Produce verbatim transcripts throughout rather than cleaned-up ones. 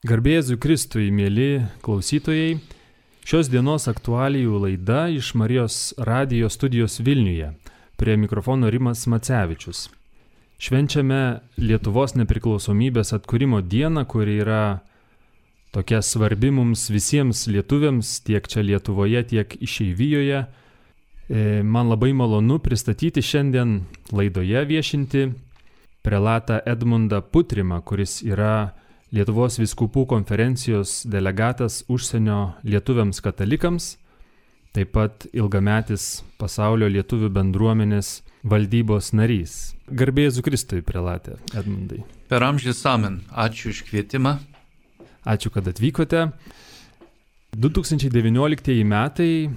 Garbė Jėzui Kristui, mėly klausytojai, šios dienos aktualijų laida iš Marijos radijo studijos Vilniuje. Prie mikrofono Rimas Macevičius. Švenčiame Lietuvos nepriklausomybės atkūrimo dieną, kuri yra tokia svarbi mums visiems lietuviams, tiek čia Lietuvoje, tiek išeivijoje. Man labai malonu pristatyti šiandien laidoje viešinti prelatą Edmundą Putrimą, kuris yra Lietuvos vyskupų konferencijos delegatas užsienio lietuviams katalikams, taip pat ilgametis pasaulio lietuvių bendruomenės valdybos narys. Garbė Jėzui Kristui, prelate Edmundai. Per amžius amen. Ačiū už kvietimą. Ačiū, kad atvykote. du tūkstančiai devynioliktieji metai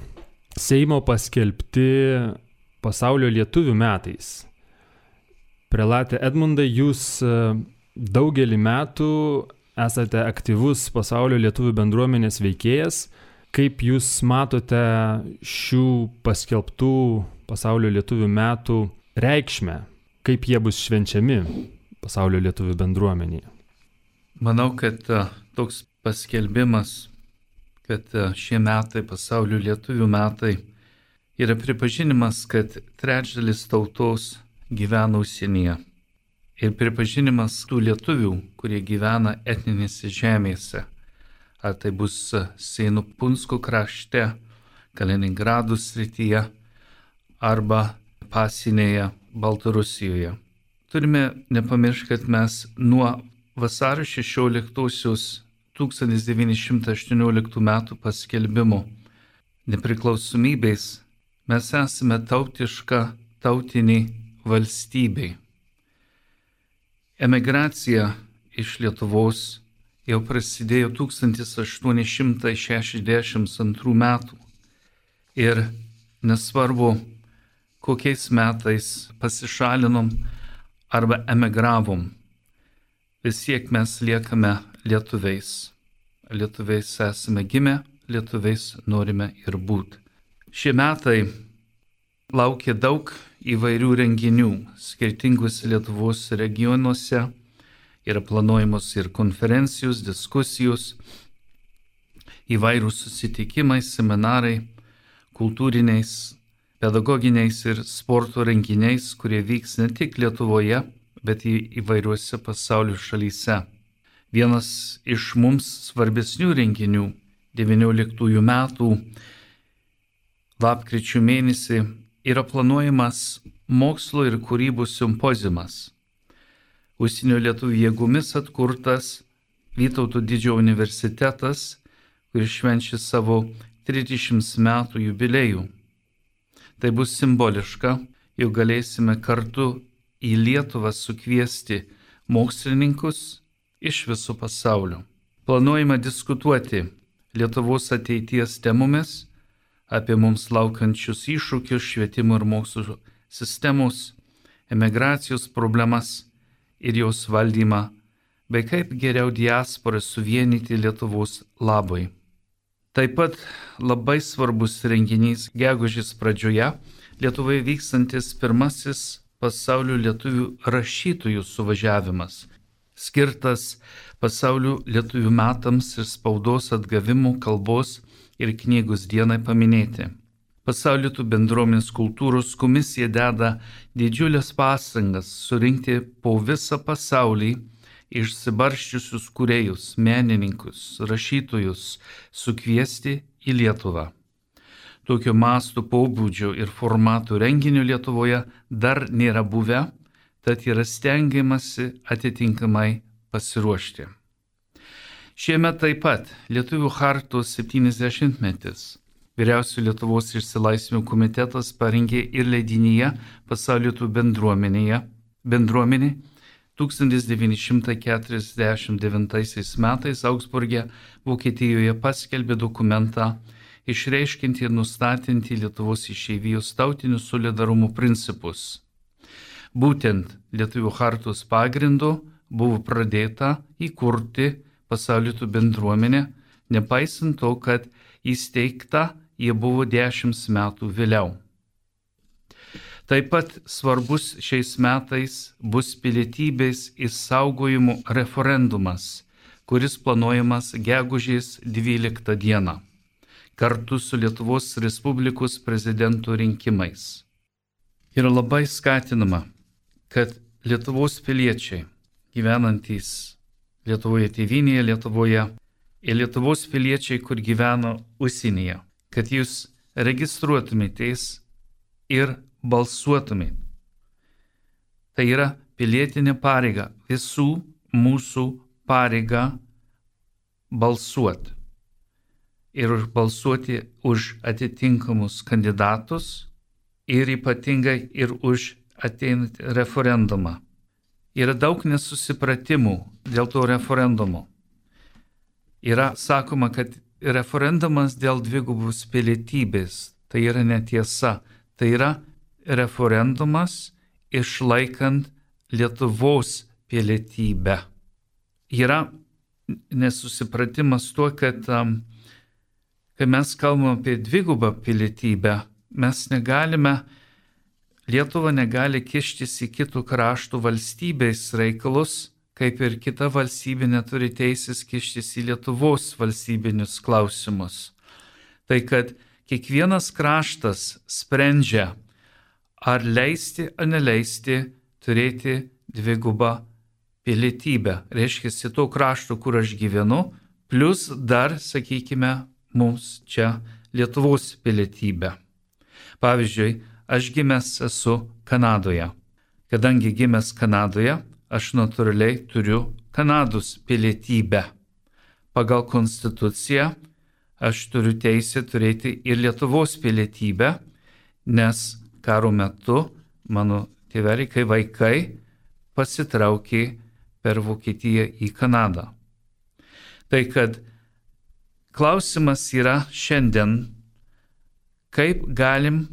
Seimo paskelbti pasaulio lietuvių metais. Prelate Edmundai, jūs daugelį metų esate aktyvus pasaulio lietuvių bendruomenės veikėjas. Kaip jūs matote šių paskelbtų pasaulio lietuvių metų reikšmę? Kaip jie bus švenčiami pasaulio lietuvių bendruomenėje? Manau, kad toks paskelbimas, kad šie metai, pasaulio lietuvių metai, yra pripažinimas, kad trečdalis tautos gyvena užsienyje. Ir pripažinimas tų lietuvių, kurie gyvena etninėse žemėse. Ar tai bus Seinų Punsko krašte, Kaliningrado srityje arba pasinėje Baltarusijoje. Turime nepamiršti, kad mes nuo vasario šešioliktosios tūkstantis devyni šimtai aštuonioliktų metų paskelbimo nepriklausomybės mes esame tautiška tautinė valstybė. Emigracija iš Lietuvos jau prasidėjo tūkstantis aštuoni šimtai šešiasdešimt antrų metų. Ir nesvarbu, kokiais metais pasišalinom arba emigravom, vis tiek mes liekame lietuviais. Lietuviais esame gimę, lietuviais norime ir būti. Šie metai laukia daug įvairių renginių. Skirtingus Lietuvos regionuose yra planuojamos ir konferencijos, diskusijos, įvairūs susitikimai, seminarai, kultūriniais, pedagoginiais ir sporto renginiais, kurie vyks ne tik Lietuvoje, bet į įvairiuose pasaulio šalyse. Vienas iš mums svarbesnių renginių devynioliktųjų metų lapkričio mėnesį yra planuojamas mokslo ir kūrybos simpoziumas. Užsienio lietuvių jėgomis atkurtas Vytauto Didžiojo universitetas, kuris švenčia savo trisdešimt metų jubiliejų. Tai bus simboliška, jau galėsime kartu į Lietuvą sukviesti mokslininkus iš viso pasaulio. Planuojama diskutuoti Lietuvos ateities temomis, apie mums laukiančius iššūkius švietimo ir mokslo sistemos, emigracijos problemas ir jos valdymą, bei kaip geriau diasporą suvienyti Lietuvos labui. Taip pat labai svarbus renginys gegužės pradžioje Lietuvoje vykstantis pirmasis pasaulio lietuvių rašytojų suvažiavimas, skirtas pasaulio lietuvių metams ir spaudos atgavimo, kalbos ir knygos dienai paminėti. Pasaulio lietuvių bendruomenės kultūros komisija deda didžiulės pastangas surinkti po visą pasaulį išsibarsčiusius kūrėjus, menininkus, rašytojus, sukviesti į Lietuvą. Tokio masto pobūdžio ir formatų renginio Lietuvoje dar nėra buvę, tad yra stengiamasi atitinkamai pasiruošti. Šiemet taip pat Lietuvių chartos septyniasdešimtmetis. Vyriausiojo Lietuvos išsilaisvinimo komitetas parengė ir leidinyje Pasaulio lietuvių bendruomenėje, bendruomenė tūkstantis devyni šimtai keturiasdešimt devintaisiais metais Augsburge, Vokietijoje paskelbė dokumentą išreiškinti ir nustatinti Lietuvos išeivijos tautinių solidarumo principus. Būtent Lietuvių chartos pagrindu buvo pradėta įkurti Pasaulio lietuvių bendruomenė, nepaisant to, kad įsteigta jie buvo dešimt metų vėliau. Taip pat svarbus šiais metais bus pilietybės išsaugojimo referendumas, kuris planuojamas gegužės dvyliktą dieną, kartu su Lietuvos Respublikos prezidento rinkimais. Yra labai skatinama, kad Lietuvos piliečiai, gyvenantys Lietuvoje tėvynėje, Lietuvoje, ir Lietuvos piliečiai, kur gyvena užsienyje, kad jūs registruotumėtės ir balsuotumėte. Tai yra pilietinė pareiga, visų mūsų pareiga balsuoti. Ir balsuoti už atitinkamus kandidatus ir ypatingai ir už ateinantį referendumą. Yra daug nesusipratimų dėl to referendumo. Yra sakoma, kad referendumas dėl dvigubos pilietybės, tai yra netiesa. Tai yra referendumas išlaikant Lietuvos pilietybę. Yra nesusipratimas tuo, kad um, kai mes kalbame apie dvigubą pilietybę, mes negalime, Lietuva negali kištis į kitų kraštų valstybės reikalus, kaip ir kita valstybė neturi teisės kištis į Lietuvos valstybinius klausimus. Tai kad kiekvienas kraštas sprendžia, ar leisti ar neleisti turėti dvigubą pilietybę. Reiškia, to krašto, kur aš gyvenu, plus dar, sakykime, mums čia Lietuvos pilietybę. Pavyzdžiui, aš gimęs esu Kanadoje. Kadangi gimęs Kanadoje, aš natūraliai turiu Kanados pilietybę. Pagal konstituciją aš turiu teisę turėti ir Lietuvos pilietybę, nes karo metu mano tėveliai, kai vaikai, pasitraukė per Vokietiją į Kanadą. Tai kad klausimas yra šiandien, kaip galim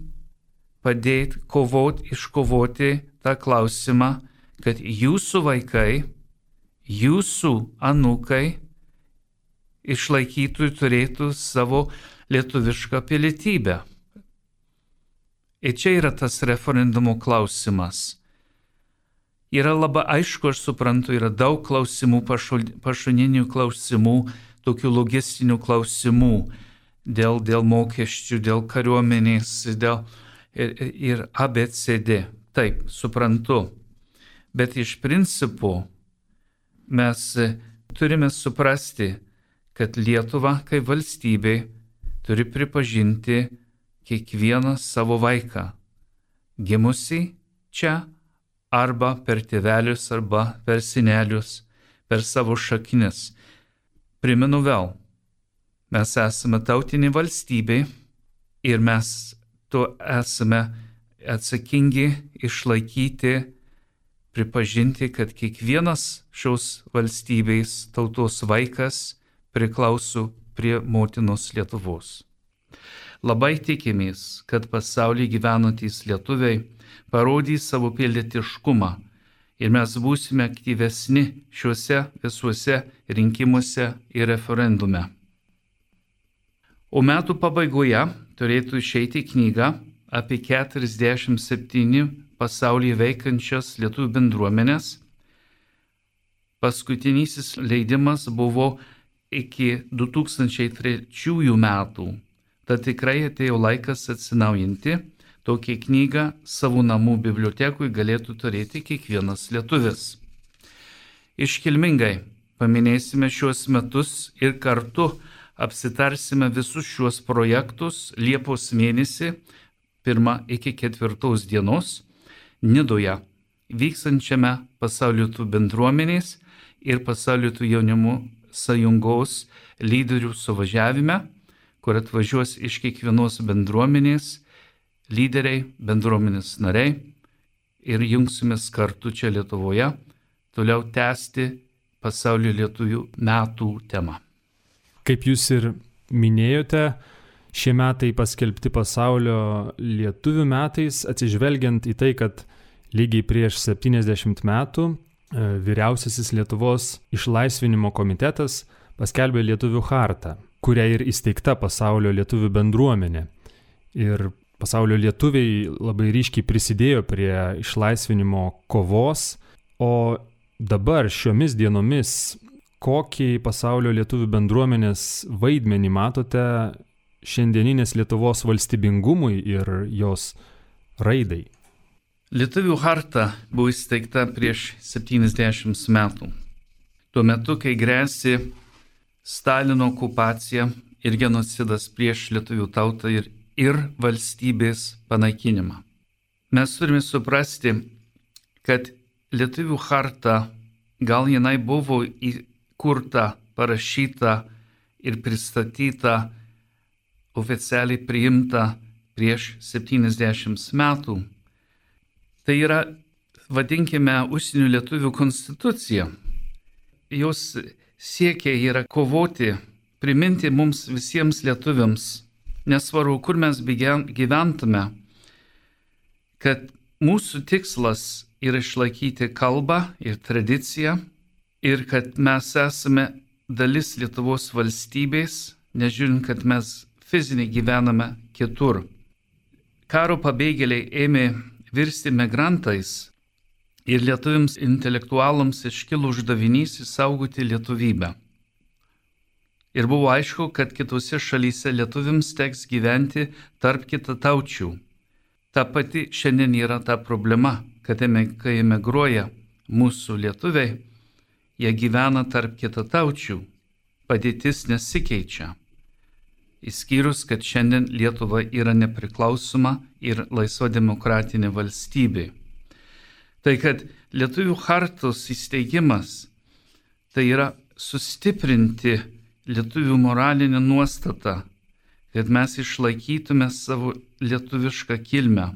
padėti kovoti, iškovoti tą klausimą, kad jūsų vaikai, jūsų anūkai išlaikytų ir turėtų savo lietuvišką pilietybę. Ir čia yra tas referendumo klausimas. Yra labai aišku, aš suprantu, yra daug klausimų, pašoninių klausimų, tokių logistinių klausimų dėl, dėl mokesčių, dėl kariuomenės, dėl ir, ir A B C D. Taip, suprantu. Bet iš principo mes turime suprasti, kad Lietuva kaip valstybė turi pripažinti kiekvieną savo vaiką, gimusį čia arba per tėvelius, arba per senelius, per savo šaknis. Primenu vėl, mes esame tautinė valstybė ir mes to esame atsakingi išlaikyti, pripažinti, kad kiekvienas šios valstybės tautos vaikas priklauso prie motinos Lietuvos. Labai tikimės, kad pasaulyje gyvenantys lietuviai parodys savo pilietiškumą ir mes būsime aktyvesni šiuose visuose rinkimuose ir referendume. O metų pabaigoje turėtų išeiti knyga apie keturiasdešimt septyni pasaulyje veikiančias lietuvių bendruomenės. Paskutinysis leidimas buvo iki du tūkstančiai trečiųjų metų. Tad tikrai atėjo laikas atsinaujinti. Tokią knygą savo namų bibliotekui galėtų turėti kiekvienas lietuvis. Iškilmingai paminėsime šiuos metus ir kartu apsitarsime visus šiuos projektus Liepos mėnesį pirmą iki ketvirtos dienos Nidoje vykstančiame Pasaulio lietuvių bendruomenės ir Pasaulio lietuvių jaunimo sąjungos lyderių suvažiavime, kur atvažiuos iš kiekvienos bendruomenės lyderiai, bendruomenės nariai ir jungsimės kartu čia Lietuvoje toliau tęsti Pasaulio lietuvių metų temą. Kaip jūs ir minėjote, šie metai paskelbti Pasaulio lietuvių metais, atsižvelgiant į tai, kad lygiai prieš septyniasdešimt metų Vyriausiasis Lietuvos išlaisvinimo komitetas paskelbė Lietuvių chartą, kuria ir įsteigta Pasaulio lietuvių bendruomenė. Ir Pasaulio lietuviai labai ryškiai prisidėjo prie išlaisvinimo kovos, o dabar šiomis dienomis kokį pasaulio lietuvių bendruomenės vaidmenį matote šiandieninės Lietuvos valstybingumui ir jos raidai? Lietuvių charta buvo įsteigta prieš septyniasdešimt metų. Tuo metu, kai grėsė Stalino okupacija ir genocidas prieš lietuvių tautą ir, ir valstybės panaikinimą. Mes turime suprasti, kad Lietuvių charta gal jinai buvo įkurta, parašyta ir pristatyta, oficialiai priimta prieš septyniasdešimt metų. Tai yra, vadinkime, užsienio lietuvių konstitucija. Jos siekia yra kovoti, priminti mums visiems lietuviams, nesvarbu, kur mes gyventume, kad mūsų tikslas yra išlaikyti kalbą ir tradiciją ir kad mes esame dalis Lietuvos valstybės, nežiūrint, kad mes fiziškai gyvename kitur. Karo pabėgėliai ėmė virsti migrantais ir lietuviams intelektualams iškilo uždavinys išsaugoti lietuvybę. Ir buvo aišku, kad kitose šalyse lietuviams teks gyventi tarp kitataučių. Ta pati šiandien yra ta problema, kad kai emigruoja mūsų lietuviai, jie gyvena tarp kitataučių. Padėtis nesikeičia. Įskyrus, kad šiandien Lietuva yra nepriklausoma ir laisva demokratinė valstybė. Tai kad Lietuvių chartos įsteigimas, tai yra sustiprinti lietuvių moralinę nuostatą, kad mes išlaikytume savo lietuvišką kilmę.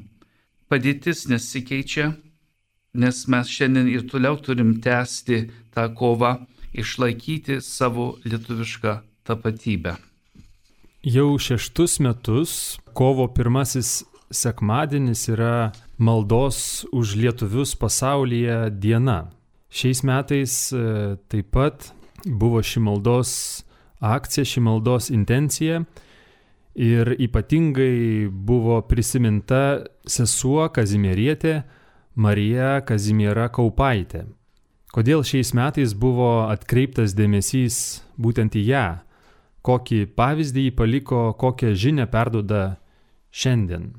Padėtis nesikeičia, nes mes šiandien ir toliau turim tęsti tą kovą, išlaikyti savo lietuvišką tapatybę. Jau šeštus metus kovo pirmasis sekmadienis yra maldos už lietuvius pasaulyje diena. Šiais metais taip pat buvo ši maldos akcija, ši maldos intencija ir ypatingai buvo prisiminta sesuo Kazimierietė Marija Kazimiera Kaupaitė. Kodėl šiais metais buvo atkreiptas dėmesys būtent į ją? Kokį pavyzdį jį paliko, kokią žinią perduoda šiandien?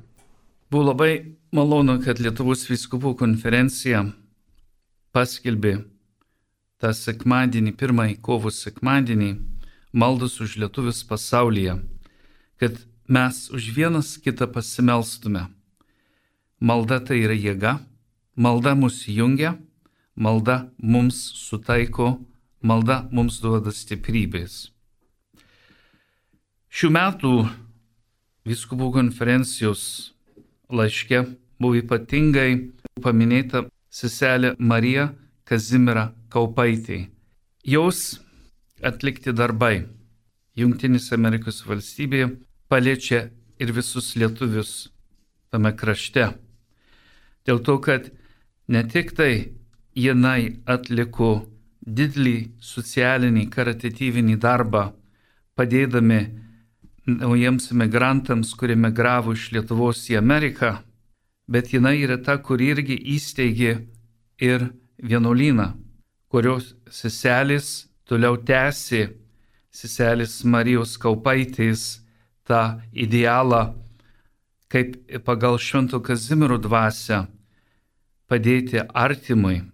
Buvo labai malonu, kad Lietuvos vyskupų konferencija paskelbė tą sekmadienį, pirmąjį kovo sekmadienį, maldos už lietuvius pasaulyje, kad mes už vienas kitą pasimelstume. Malda tai yra jėga, malda mus jungia, malda mums sutaiko, malda mums duoda stiprybės. Šių metų vyskupų konferencijos laiške buvo ypatingai paminėta seselė Marija Kazimiera Kaupaitė. Jos atlikti darbai Jungtinėse Amerikos valstybėje paliečia ir visus lietuvius tame krašte. Dėl to, kad ne tik tai jinai atliko didelį socialinį karitatyvinį darbą, padėdami naujiems emigrantams, kurie migravo iš Lietuvos į Ameriką, bet jinai yra ta, kur irgi įsteigė ir vienuolyną, kurios seselės toliau tęsė, seselės Marijos Kaupaitės tą idealą, kaip pagal Švento Kazimiero dvasią padėti artimui.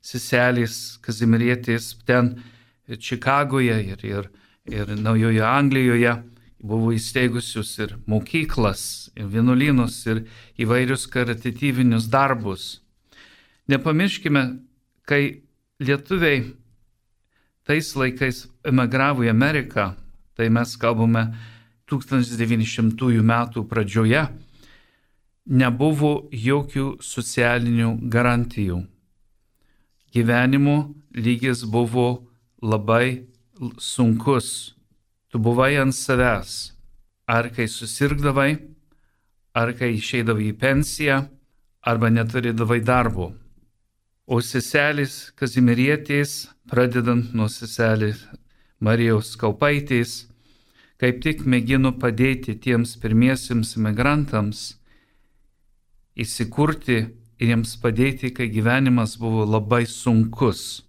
Seselės Kazimierietės ten Čikagoje ir, ir, ir Naujojoje Anglijoje buvo įsteigusius ir mokyklas, ir vienuolynus, ir įvairius karitatyvinius darbus. Nepamirškime, kai lietuviai tais laikais emigravo į Ameriką, tai mes kalbame tūkstantis devyni šimtųjų metų pradžioje, nebuvo jokių socialinių garantijų. Gyvenimo lygis buvo labai sunkus. Tu buvai ant savęs, ar kai susirgdavai, ar kai išeidavai į pensiją, arba neturėdavai darbo. O seselės Kazimierietės, pradedant nuo seselės Marijos Kaupaitės, kaip tik mėgino padėti tiems pirmiesiems imigrantams įsikurti ir jiems padėti, kai gyvenimas buvo labai sunkus.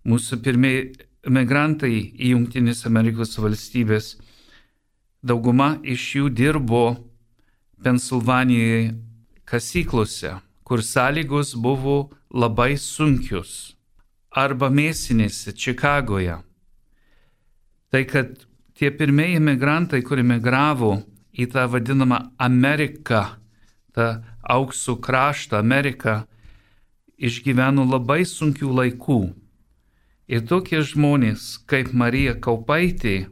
Mūsų pirmieji emigrantai į Jungtinės Amerikos valstybės, dauguma iš jų dirbo Pensilvanijoje kasyklose, kur sąlygos buvo labai sunkios, arba mėsinėse Čikagoje. Tai kad tie pirmieji emigrantai, kurie emigravo į tą vadinamą Ameriką, tą aukso kraštą Ameriką, išgyveno labai sunkių laikų. Ir tokie žmonės kaip Marija Kaupaitė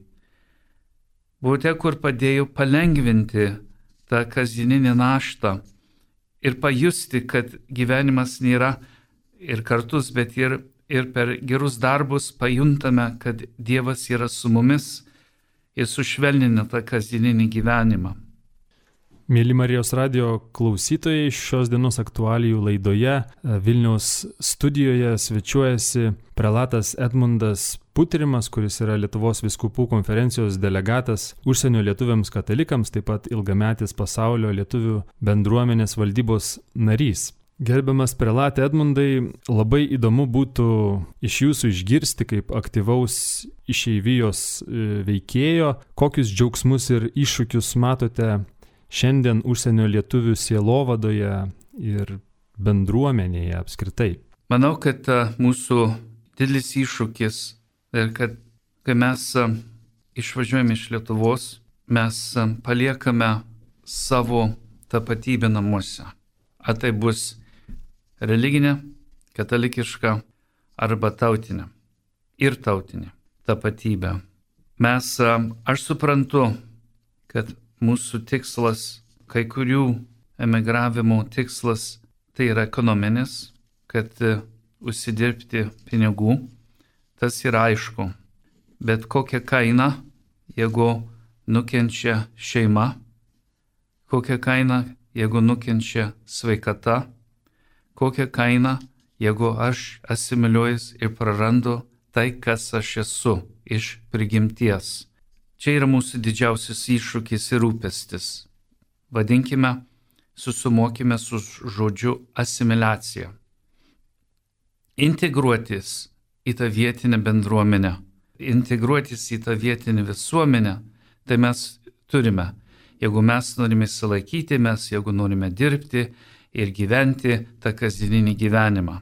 buvo tie, kur padėjo palengvinti tą kasdieninę naštą ir pajusti, kad gyvenimas nėra ir kartus, bet ir, ir per gerus darbus pajuntame, kad Dievas yra su mumis ir sušvelnina tą kasdieninį gyvenimą. Mėly Marijos radijo klausytojai, šios dienos aktualijų laidoje Vilniaus studijoje svečiuojasi prelatas Edmundas Putrimas, kuris yra Lietuvos vyskupų konferencijos delegatas užsienio lietuviams katalikams, taip pat ilgametis pasaulio lietuvių bendruomenės valdybos narys. Gerbiamas prelate Edmundai, labai įdomu būtų iš jūsų išgirsti kaip aktyvaus išeivijos veikėjo, kokius džiaugsmus ir iššūkius matote šiandien užsienio lietuvių sielovadoje ir bendruomenėje apskritai. Manau, kad mūsų didelis iššūkis ir kad kai mes išvažiuojame iš Lietuvos, mes paliekame savo tapatybę namuose. Ar tai bus religinė, katalikiška arba tautinė ir tautinė tapatybė. Mes, aš suprantu, kad mūsų tikslas, kai kurių emigravimo tikslas, tai yra ekonominis, kad užsidirbti pinigų, tas yra aišku. Bet kokia kaina, jeigu nukenčia šeima, kokia kaina, jeigu nukenčia sveikata, kokia kaina, jeigu aš asimiliuojas ir prarandu tai, kas aš esu iš prigimties. Čia yra mūsų didžiausias iššūkis ir rūpestis. Vadinkime, susumokime su žodžiu asimiliacija. Integruotis į tą vietinę bendruomenę, integruotis į tą vietinę visuomenę, tai mes turime. Jeigu mes norime įsilaikyti, mes jeigu norime dirbti ir gyventi tą kasdieninį gyvenimą.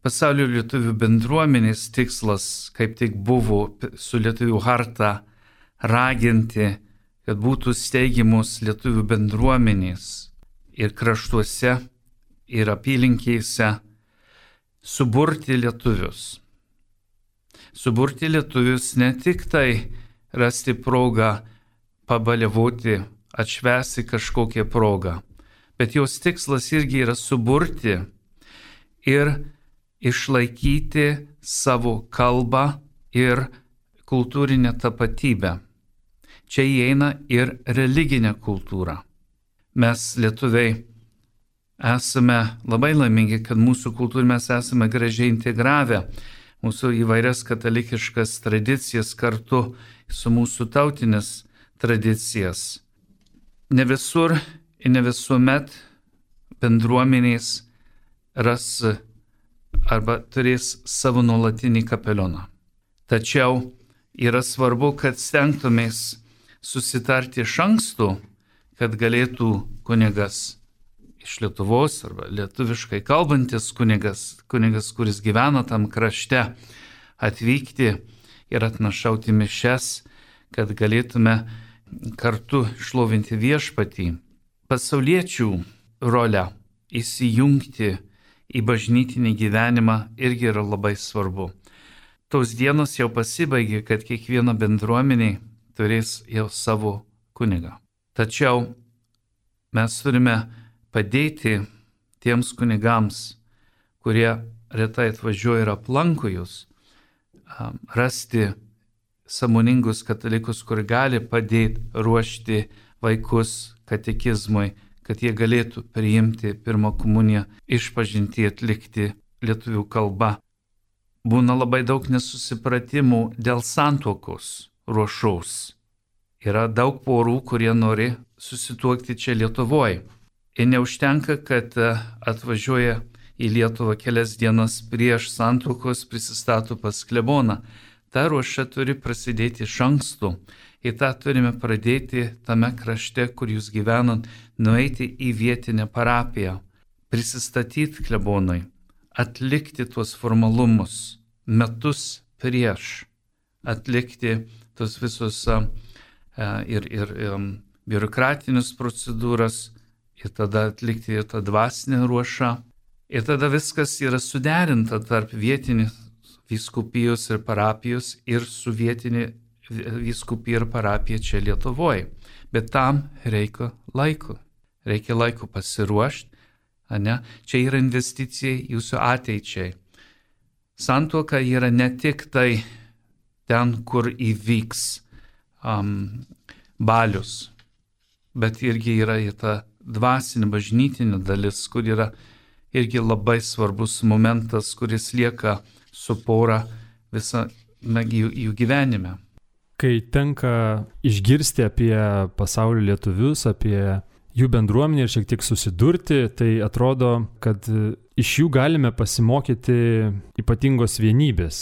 Pasaulio lietuvių bendruomenės tikslas, kaip tik buvo su lietuvių harta, raginti, kad būtų steigiamos lietuvių bendruomenės ir kraštuose, ir apylinkėse, suburti lietuvius. Suburti lietuvius ne tik tai rasti progą pabaliavoti, atšvęsti kažkokią progą, bet jos tikslas irgi yra suburti ir išlaikyti savo kalbą ir kultūrinę tapatybę. Čia įeina ir religinė kultūra. Mes lietuviai esame labai laimingi, kad mūsų kultūrą mes esame gražiai integravę, mūsų įvairias katalikiškas tradicijas kartu su mūsų tautinės tradicijas. Ne visur ir ne visuomet bendruomenės ras arba turės savo nuolatinį kapelioną. Tačiau yra svarbu, kad stengtumės susitarti iš anksto, kad galėtų kunigas iš Lietuvos arba lietuviškai kalbantis kunigas, kunigas, kuris gyvena tam krašte, atvykti ir atnašauti mišias, kad galėtume kartu šlovinti viešpatį. Pasauliečių rolę įsijungti į bažnytinį gyvenimą irgi yra labai svarbu. Tos dienos jau pasibaigė, kad kiekviena bendruomenė turės jau savo kunigą. Tačiau mes turime padėti tiems kunigams, kurie retai atvažiuoja ir aplanko jūs, rasti sąmoningus katalikus, kur gali padėti ruošti vaikus katekizmui, kad jie galėtų priimti pirmą komuniją, išpažintį atlikti lietuvių kalba. Būna labai daug nesusipratimų dėl santuokos ruošos. Yra daug porų, kurie nori susituokti čia Lietuvoje. Ir neužtenka, kad atvažiuoja į Lietuvą kelias dienas prieš santuokos prisistato pas kleboną. Ta ruoša turi prasidėti iš anksto. Ir tą turime pradėti tame krašte, kur jūs gyvenat, nueiti į vietinę parapiją, prisistatyti klebonui, atlikti tuos formalumus metus prieš, atlikti tos visus uh, ir, ir um, biurokratinius procedūras ir tada atlikti ir tą dvasinę ruošą. Ir tada viskas yra suderinta tarp vietinės vyskupijos ir parapijos ir su vietinė vyskupija ir parapija čia Lietuvoje. Bet tam reikia laiko. Reikia laiko pasiruošti. Ne? Čia yra investicija jūsų ateičiai. Santuoka yra ne tik tai ten, kur įvyks um, balius, bet irgi yra ir ta dvasinė bažnytinė dalis, kur yra irgi labai svarbus momentas, kuris lieka su pora visą jų, jų gyvenime. Kai tenka išgirsti apie pasaulio lietuvius, apie jų bendruomenę ir šiek tiek susidurti, tai atrodo, kad iš jų galime pasimokyti ypatingos vienybės.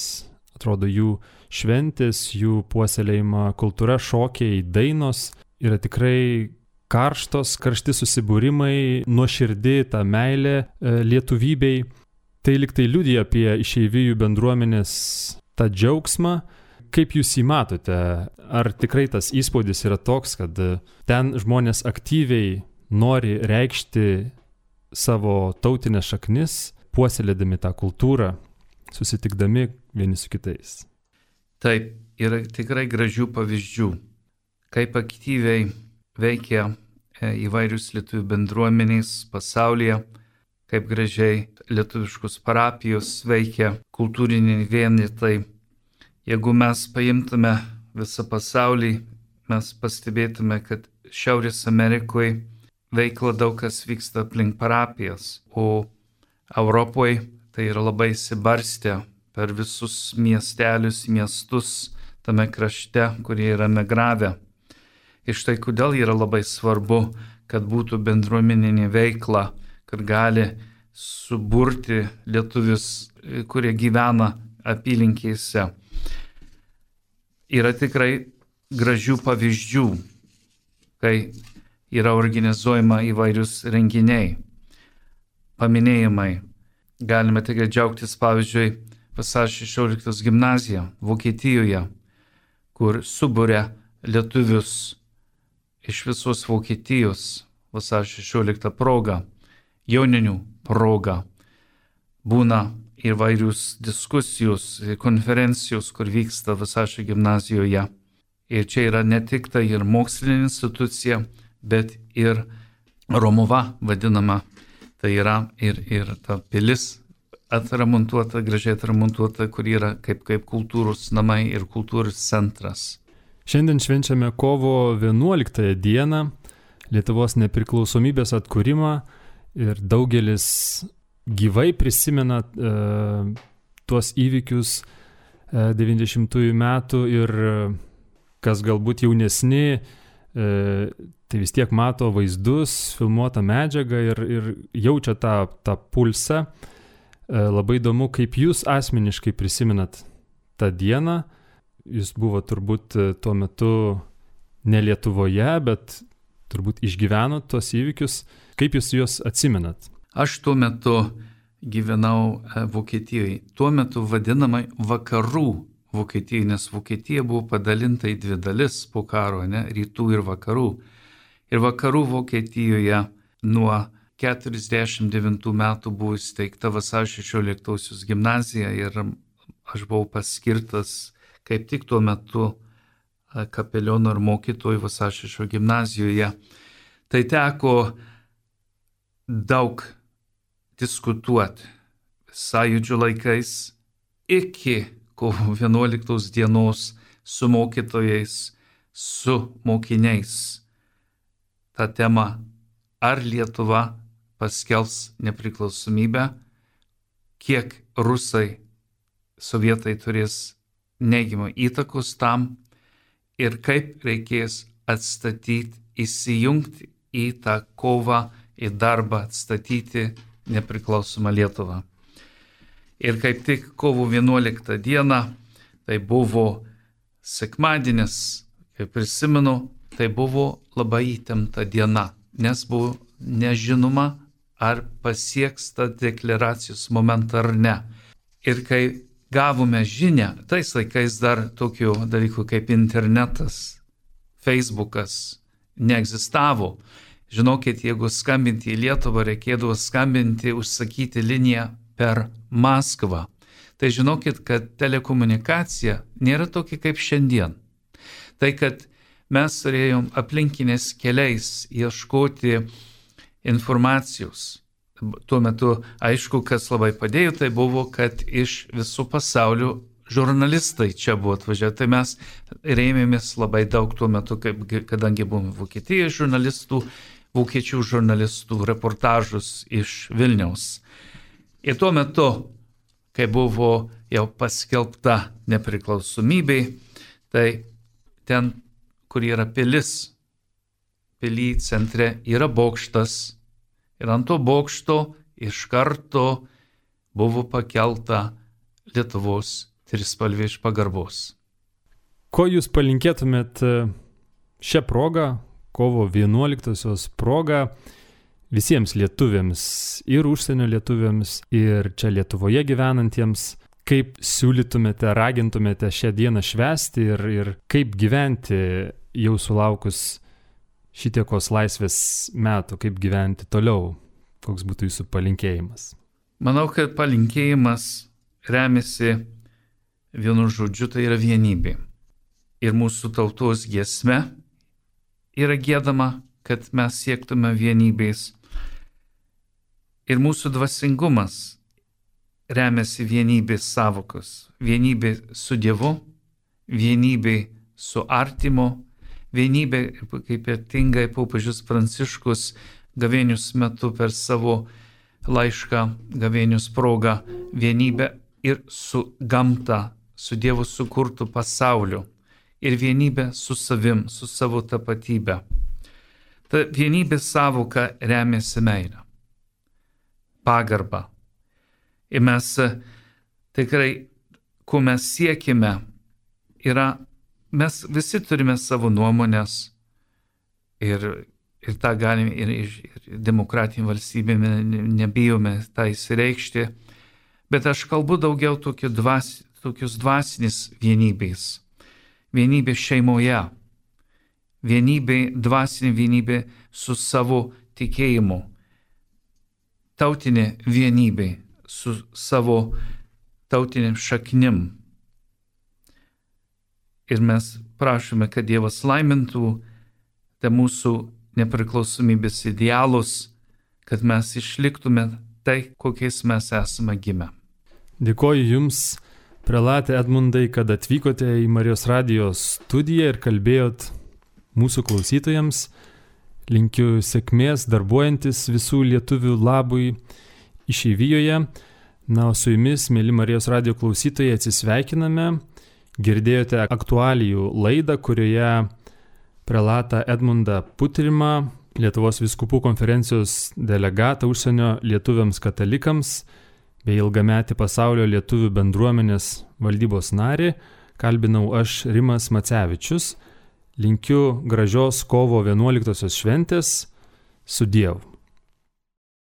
Atrodo, jų šventės, jų puoselėjimo kultūra, šokiai, dainos yra tikrai karštos, karšti susibūrimai, nuoširdi ta meilė lietuvybei. Tai lyg tai liudija apie išeivijų bendruomenės tą džiaugsmą. Kaip jūs jį matote? Ar tikrai tas įspūdis yra toks, kad ten žmonės aktyviai nori reikšti savo tautinės šaknis, puoselėdami tą kultūrą, susitikdami vieni su kitais? Taip, yra tikrai gražių pavyzdžių, kaip aktyviai veikia įvairius lietuvių bendruomenės pasaulyje, kaip gražiai lietuviškus parapijos veikia kultūriniai vienetai. Jeigu mes paimtume visą pasaulį, mes pastebėtume, kad Šiaurės Amerikoje veikla daug kas vyksta aplink parapijas, o Europoje tai yra labai įsibarstę per visus miestelius, miestus tame krašte, kurie yra migravę. Ir štai kodėl yra labai svarbu, kad būtų bendruomeninė veikla, kad gali suburti lietuvius, kurie gyvena apylinkėse. Yra tikrai gražių pavyzdžių, kai yra organizuojama įvairius renginiai, paminėjimai. Galime tikrai džiaugtis, pavyzdžiui, Vasario šešioliktos gimnazija Vokietijoje, kur suburia lietuvius iš visos Vokietijos Vasario šešioliktą progą, joninių progą. Būna įvairius diskusijos, konferencijos, kur vyksta Vasario gimnazijoje. Ir čia yra ne tik tai ir mokslinė institucija, bet ir Romuva vadinama. Tai yra ir, ir ta pilis atremontuota, gražiai atremontuota, kur yra kaip, kaip kultūros namai ir kultūros centras. Šiandien švenčiame kovo vienuoliktąją dieną, Lietuvos nepriklausomybės atkūrimą, ir daugelis gyvai prisimena e, tuos įvykius e, devyniasdešimtųjų metų ir kas galbūt jaunesni, e, tai vis tiek mato vaizdus, filmuotą medžiagą ir, ir jaučia tą, tą pulsą. E, labai įdomu, kaip jūs asmeniškai prisimenat tą dieną. Jūs buvo turbūt tuo metu ne Lietuvoje, bet turbūt išgyvenot tuos įvykius. Kaip jūs juos atsimenat? Aš tuo metu gyvenau Vokietijoje. Tuo metu vadinamai vakarų Vokietijai, nes Vokietija buvo padalinta į dvi dalis po karo, ne, rytų ir vakarų. Ir vakarų Vokietijoje nuo keturiasdešimt devintų metų buvo įsteigta Vasario šešioliktosios gimnazija ir aš buvau paskirtas kaip tik tuo metu kapeliono ir mokytojų Vasario šešioliktosios gimnazijoje. Tai teko daug diskutuoti sąjūdžio laikais iki kovo vienuoliktos dienos su mokytojais, su mokiniais. Ta tema, ar Lietuva paskelbs nepriklausomybę, kiek rusai, sovietai turės neigiamą įtakos tam ir kaip reikės atstatyti, įsijungti į tą kovą, į darbą, atstatyti nepriklausomą Lietuvą. Ir kaip tik kovo vienuoliktą dieną, tai buvo sekmadienis, kaip prisimenu, tai buvo labai įtempta diena, nes buvo nežinoma, ar pasieks tą deklaracijos momentą ar ne. Ir kai gavome žinią, tais laikais dar tokių dalykų kaip internetas, Facebookas neegzistavo. Žinokit, jeigu skambinti į Lietuvą, reikėdavo skambinti, užsakyti liniją per Maskvą. Tai žinokit, kad telekomunikacija nėra tokia kaip šiandien. Tai, kad mes turėjom aplinkinės keliais ieškoti informacijos. Tuo metu, aišku, kas labai padėjo, tai buvo, kad iš visų pasaulių žurnalistai čia buvo atvažiavę. Tai mes rėmėmės labai daug tuo metu, kaip, kadangi buvome Vokietijos žurnalistų, vokiečių žurnalistų reportažus iš Vilniaus. Ir tuo metu, kai buvo jau paskelbta nepriklausomybė, tai ten, kur yra pilis, pily centre yra bokštas. Ir ant to bokšto iš karto buvo pakelta Lietuvos trispalvė iš pagarbos. Ko jūs palinkėtumėt šią progą, kovo vienuoliktosios progą, visiems lietuviams ir užsienio lietuviams ir čia Lietuvoje gyvenantiems, kaip siūlytumėte, ragintumėte šią dieną švęsti ir, ir kaip gyventi jau sulaukus šitiekos laisvės metų, kaip gyventi toliau, koks būtų jūsų palinkėjimas? Manau, kad palinkėjimas remiasi vienu žodžiu, tai yra vienybė. Ir mūsų tautos giesme yra giedama, kad mes siektume vienybės. Ir mūsų dvasingumas remiasi vienybės savokos. Vienybė su Dievu, vienybė su artimu, vienybė, kaip ypatingai popiežius Pranciškus gavėnios metu per savo laišką gavėnios progą, vienybė ir su gamta, su Dievo sukurtu pasauliu ir vienybė su savim, su savo tapatybė. Ta vienybės savoka remiasi meilę, pagarbą. Ir mes tikrai, ko mes siekime, yra mes visi turime savo nuomonės ir, ir tą galime ir, ir demokratinį valstybėme nebijome tą įsireikšti, bet aš kalbu daugiau tokio dvas, tokios dvasinės vienybės. Vienybė šeimoje, vienybė, dvasinė vienybė su savo tikėjimu, tautinė vienybė su savo tautiniam šaknim. Ir mes prašome, kad Dievas laimintų tą mūsų nepriklausomybės idealus, kad mes išliktume tai, kokiais mes esame gimę. Dėkoju Jums, prelate Edmundai, kad atvykote į Marijos radijo studiją ir kalbėjot mūsų klausytojams. Linkiu sėkmės darbuojantis visų lietuvių labui išeivijoje. Na, o su Jumis, mėly Marijos radijo klausytojai, atsisveikiname. Girdėjote aktualijų laidą, kurioje prelatą Edmundą Putrimą, Lietuvos vyskupų konferencijos delegatą užsienio lietuviams katalikams bei ilgametį pasaulio lietuvių bendruomenės valdybos narį, kalbinau aš Rimas Macevičius. Linkiu gražios kovo vienuoliktosios šventės. Su Dievu.